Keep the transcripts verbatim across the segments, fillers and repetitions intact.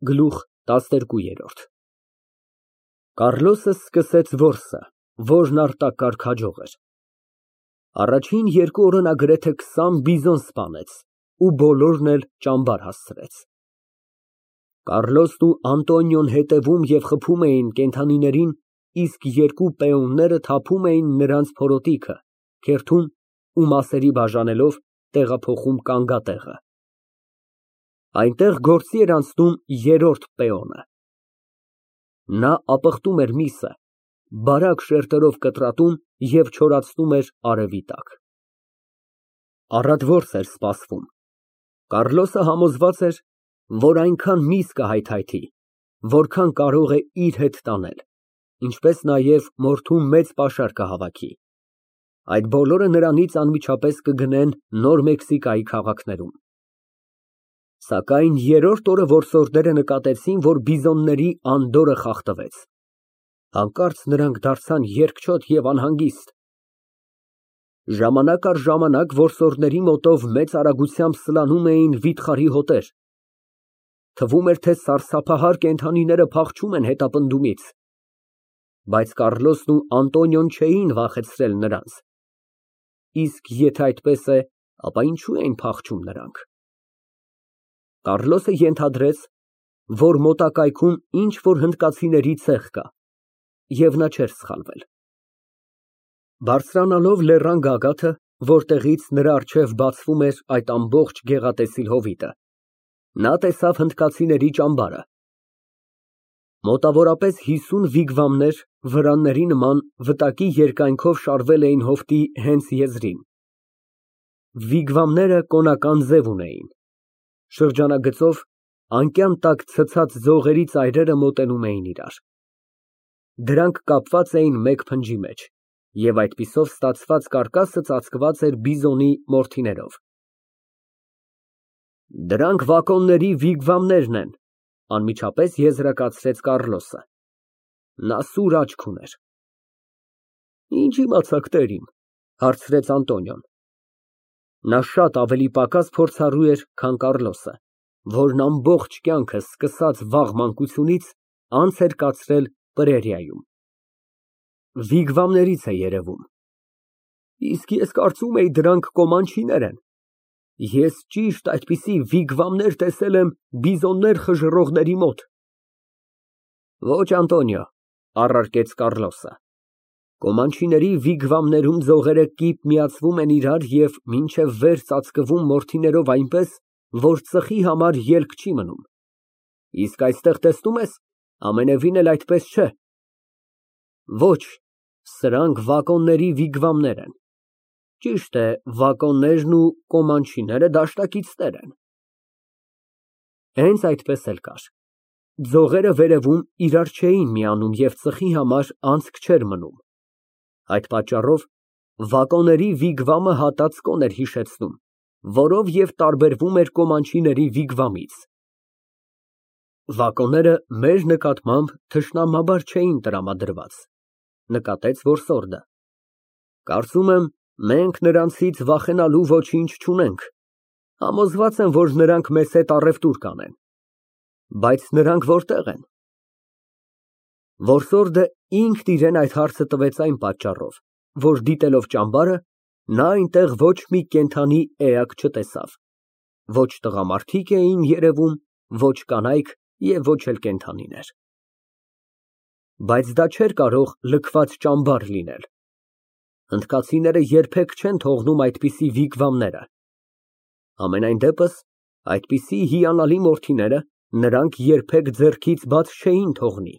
Գլուխ տասներկու։ Կառլոսը սկսեց որսը, որն արտակարգ հաջող էր։ Առաջին երկու օրը նա գրեթե քսան բիզոն սպանեց ու բոլորն էլ ճամբար հասցրեց։ Կառլոսն ու Անտոնիոն հետևում և խփում էին կենդանիներին, իսկ երկու պեոնները թափում էին նրանց փորոտիքը, քերթում ու մասերի բաժանելով տեղափոխում կանգատեղը։ Այնտեղ գործի էր անցնում երրորդ պեոնը։ Նա ապխտում էր միսը, բարակ շերտերով կտրատում և չորացնում էր արևի տակ։ Առատ որս էր սպասվում։ Կառլոսը համոզված էր, որ այնքան միս կհայթայթի, որքան կարող է իր հետ տանել, ինչպես նաև մորթու մեծ պաշար կհավաքի։ Այդ բոլորը նրանից անմիջապես կգնեն Նոր Մեքսիկայի քաղաքներում։ Սակայն երրորդ օրը որսորդները նկատեցին, որ բիզոնների անդորրը խախտվեց։ Հանկարծ նրանք դարձան երկչոտ և անհանգիստ։ Ժամանակ առ ժամանակ որսորդների մոտով մեծ արագությամբ սլանում էին վիթխարի հոտեր։ Թվում էր, թե սարսափահար կենդանիները փախչում են հետապնդումից։ Բայց Կառլոսն ու Անտոնիոն չէին վախեցրել նրանց։ Իսկ եթե այդպես է, ապա ինչու էին փախչում նրանք։ Կառլոսը ենթադրեց, որ մոտակայքում ինչ֊որ հնդկացիների ցեղ կա, և նա չէր սխալվել։ Բարձրանալով լեռան գագաթը, որտեղից նրա առջև բացվում էր այդ ամբողջ գեղատեսիլ հովիտը, նա տեսավ հնդկացիների ճամբարը։ Մոտավորապես հիսուն վիգվամներ վրանների նման վտակի երկայնքով շարվել էին հովտի հենց եզրին։ Վիգվամները կոնական ձև ունեին։ Շրջանագծով անկյան տակ ցցած ձողերի ծայրերը մոտենում էին իրար։ Դրանք կապված էին մեկ փնջի մեջ, և այդպիսով ստացված կարկասը ծածկված էր բիզոնի մորթիներով։ Դրանք վակոնների վիգվամներն են, անմիջապես եզրակացրեց Կառլոսը։ Նա սուր աչք ուներ։ Ինչ իմացաք, տերիմ, հարցրեց Անտոնիոն։ Նա շատ ավելի պակաս փորձառու էր, քան Կառլոսը, որն ամբողջ կյանքը, սկսած վաղ մանկությունից, անց էր կացրել պրերիայում։ Վիգվամներից է երևում։ Իսկ ես կարծում էի դրանք կոմանչիներ են։ Ես ճիշտ այդպիսի վիգվամներ տեսել եմ բիզոններ խժռողների մոտ։ Ոչ, Անտոնիո, առարկեց Կառլոսը, կոմանչիների վիգվամներում ձողերը կիպ միացվում են իրար և մինչև վեր ծածկվում մորթիներով այնպես, որ ծխի համար ելք չի մնում։ Իսկ այստեղ, տեսնում ես, ամենևին էլ այդպես չէ։ Ոչ, սրանք վակոնների վիգվամներ են։ Ճիշտ է, վակոններն ու կոմանչիները դաշնակիցներ են։ Հենց այդպես էլ կար։ Ձողերը վերևում իրար չէին միանում և ծխի համար անցք չէր մնում։ Այդ պատճառով վակոնների վիգվամը հատած կոն էր հիշեցնում, որով և տարբերվում էր կոմանչիների վիգվամից։ Վակոնները մեր նկատմամբ թշնամաբար չէին տրամադրված, նկատեց որսորդը։ Կարծում եմ, մենք նրանցից վախենալու ոչինչ չունենք։ Համոզված եմ, որ նրանք մեզ հետ առևտուր կանեն։ Բայց նրանք որտե՞ղ են։ Որսորդը ինքն իրան այդ հարցը տվեց այն պատճառով, որ դիտելով ճամբարը, նա այնտեղ ոչ մի կենդանի էակ չտեսավ։ Ոչ տղամարդիկ էին երևում, ոչ կանայք և ոչ էլ կենդանիներ։ Բայց դա չէր կարող լքված ճամբար լինել։ Հնդկացիները երբեք չեն թողնում այդպիսի վիգվամները։ Համենայն դեպս, այդպիսի հիանալի մորթիները նրանք երբեք ձեռքից բաց չէին թողնի։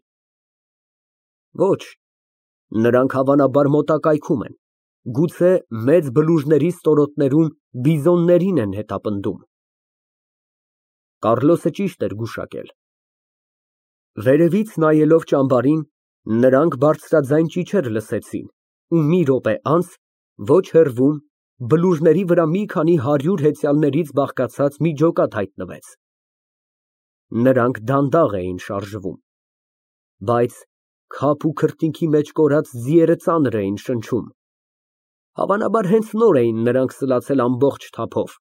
Ոչ, նրանք հավանաբար մոտակայքում են, գուցե մեծ բլուժների ստորոտներում բիզոններին են հետապնդում։ Կառլոսը ճիշտ էր գուշակել։ Վերևից նայելով ճամբարին, նրանք բարձրաձայն ճիչեր լսեցին ու մի րոպե անց, ոչ հեռվում, բլուժների վրա մի քանի հարյուր հեծյալներից բաղկացած մի ջոկատ հայտնվեց։ Նրանք դանդաղ էին շարժվում, բայց քափ ու քրտինքի մեջ կորած ձիերը ծանր էին շնչում։ Հավանաբար հենց նոր էին նրանք սլացել ամբողջ թափով։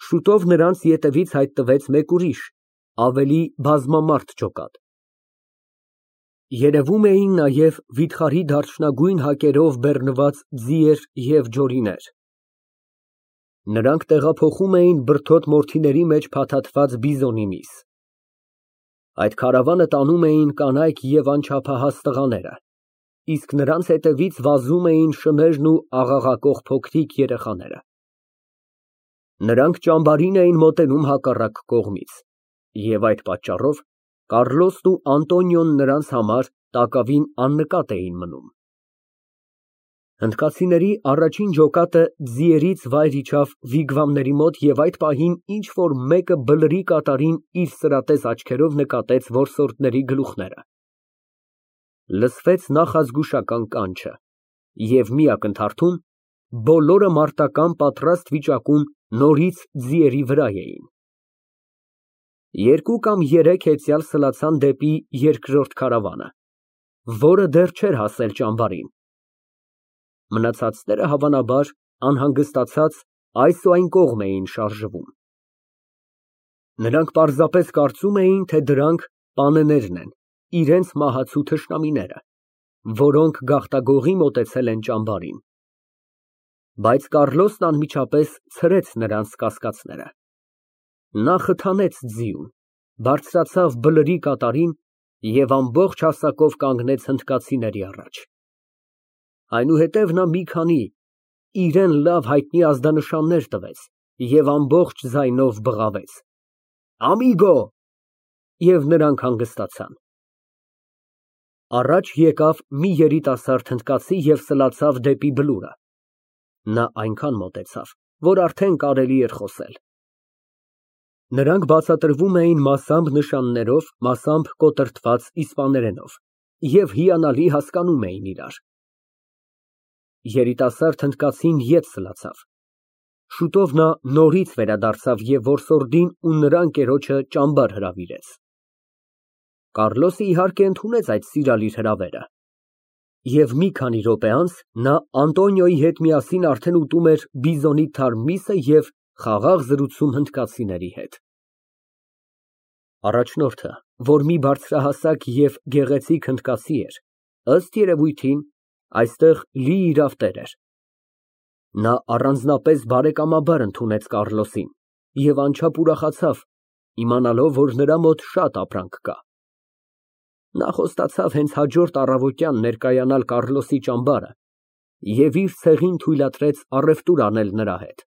Շուտով նրանց ետևից հայտնվեց մեկ ուրիշ, ավելի բազմամարդ ջոկատ։ Երևում էին նաև վիթխարի դարչնագույն հակերով բեռնված ձիեր և ջորիներ։ Նրանք տեղափոխում էին բրդոտ մորթիների մեջ փաթաթված բիզոնի միս։ Այդ քարավանը տանում էին կանայք և անչափահաս տղաները, իսկ նրանց հետևից վազում էին շներն ու աղաղակող փոքրիկ երեխաները։ Նրանք ճամբարին էին մոտենում հակառակ կողմից, և այդ պատճառով Կառլոսն ու Անտոնիոն նրանց համար տակավին աննկատ էին մնում։ Հնդկացիների առաջին ջոկատը ձիերից վայր իջավ վիգվամների մոտ և այդ պահին ինչ֊որ մեկը բլրի կատարին իր սրատես աչքերով նկատեց որսորդների գլուխները։ Լսվեց նախազգուշական կանչը, և մի ակնթարթում բոլորը մարտական պատրաստ վիճակում նորից ձիերի վրա էին։ Երկու կամ երեք հեծյալ սլացան դեպի երկրորդ քարավանը, որը դեռ չէր հասել ճամբարին։ Մնացածները, հավանաբար, անհանգստացած, այս ու այն կողմ էին շարժվում։ Նրանք պարզապես կարծում էին, թե դրանք պանեներն են, իրենց մահացու թշնամիները, որոնք գաղտագողի մոտեցել են ճամբարին։ Բայց Կառլոսն անմիջապես ցրեց նրանց կասկածները։ Նա խթանեց ձիուն, բարձրացավ բլրի կատարին և ամբողջ հասակով կանգնեց հնդկացիների առաջ։ Այնուհետև նա մի քանի իրան լավ հայտնի ազդանշաններ տվեց և ամբողջ ձայնով բղավեց. «Ամիգո», և նրանք հանգստացան։ Առաջ եկավ մի երիտասարդ հնդկացի և սլացավ դեպի բլուրը։ Նա այնքան մոտեցավ, որ արդեն կարելի էր խոսել։ Նրանք բացատրվում էին մասամբ նշաններով, մասամբ կոտրտված իսպաներենով և հիանալի հասկանում էին իրար։ Երիտասարդ հնդկացին ետ սլացավ։ Շուտով նա նորից վերադարձավ և որսորդին ու նրա ընկերոջը ճամբար հրավիրեց։ Կառլոսը, իհարկե, ընդունեց այդ սիրալիր հրավերը, և մի քանի րոպե անց նա Անտոնիոյի հետ միասին արդեն ուտում էր բիզոնի թարմ միսը և խաղաղ զրուցում հնդկացիների հետ։ Առաջնորդը, որ մի բարձրահասակ և գեղեցիկ հնդկացի էր, ըստ երևույթին, այստեղ լի իրավ տեր էր։ Նա առանձնապես բարեկամաբար ընդունեց Կառլոսին և անչափ ուրախացավ, իմանալով, որ նրա մոտ շատ ապրանք կա։ Նա խոստացավ հենց հաջորդ առավոտյան ներկայանալ Կառլոսի ճամբարը և իր ցեղին թույլատրեց առևտուր անել նրա հետ։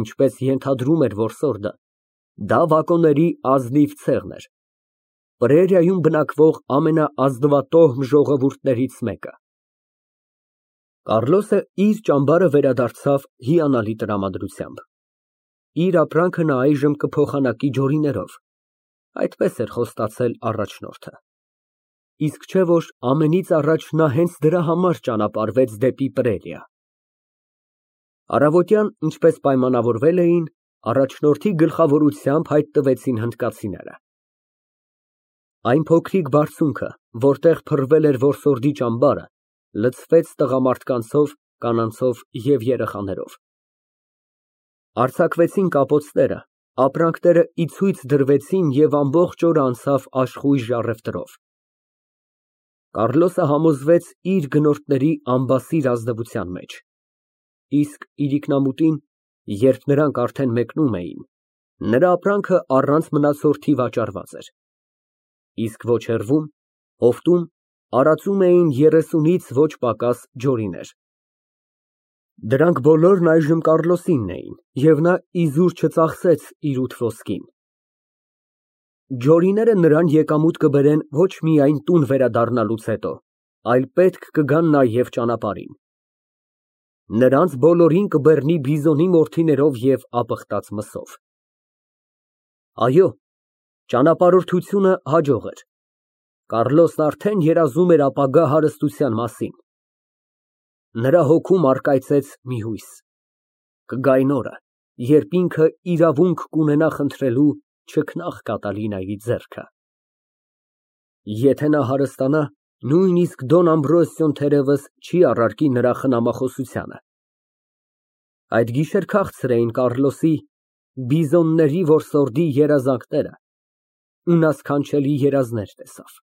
Ինչպես ենթադրում էր որսորդը, դա վագոնների ազնիվ ցեղն էր, պրերիայում բնակվող ամենաազնվատոհմ ժողովուրդներից մեկը։ Կառլոսը իր ճամբարը վերադարձավ հիանալի տրամադրությամբ։ Իր ապրանքը նա այժմ կփոխանակի ջորիներով, այդպես էր խոստացել առաջնորդը։ Իսկ չէ՞ որ ամենից առաջ նա հենց դրա համար ճանապարհվեց դեպի Պրերիա։ Առավոտյան, ինչպես պայմանավորվել էին, առաջնորդի գլխավորությամբ հայտնվեցին հնդկացիները։ Այն փոքրիկ բարձունքը, որտեղ փռվել էր որսորդի ճամբարը, լցվեց տղամարդկանցով, կանանցով և երեխաներով։ Արձակվեցին կապոցները, ապրանքները ի ցույց դրվեցին և ամբողջ օրը անցավ աշխույժ առևտրով։ Կառլոսը համոզվեց իր գնորդների անբասիր ազնվության մեջ, իսկ իրիկնամուտին, երբ նրանք արդեն մեկնում էին, նրա ապրանքը առանց մնացորդի վաճառված էր, իսկ ոչ հեռվում, հովտում, արածում էին երեսունից ոչ պակաս ջորիներ։ Դրանք բոլորն այժմ Կառլոսինն էին, և նա իզուր չծախսեց իր ութ ոսկին։ Ջորիները նրան եկամուտ կբերեն ոչ միայն տուն վերադառնալուց հետո, այլ պետք կգան նաև ճանապարհին։ Նրանց բոլորին կբեռնի բիզոնի մորթիներով և ապխտած մսով։ Այո, ճանապարհորդությունը հաջող էր։ Կառլոսն արդեն երազում էր ապագա հարստության մասին։ Նրա հոգում առկայծեց մի հույս. կգա այն օրը, երբ ինքը իրավունք կունենա խնդրելու չքնաղ Կատալինայի ձեռքը։ Եթե նա հարստանա, նույնիսկ Դոն Ամբրոսիոն թերևս չի առարկի նրա խնամախոսությանը։ Այդ գիշեր քաղցր էին Կառլոսի Բիզոնների որսորդի երազանքները ու նա սքանչելի երազներ տեսավ։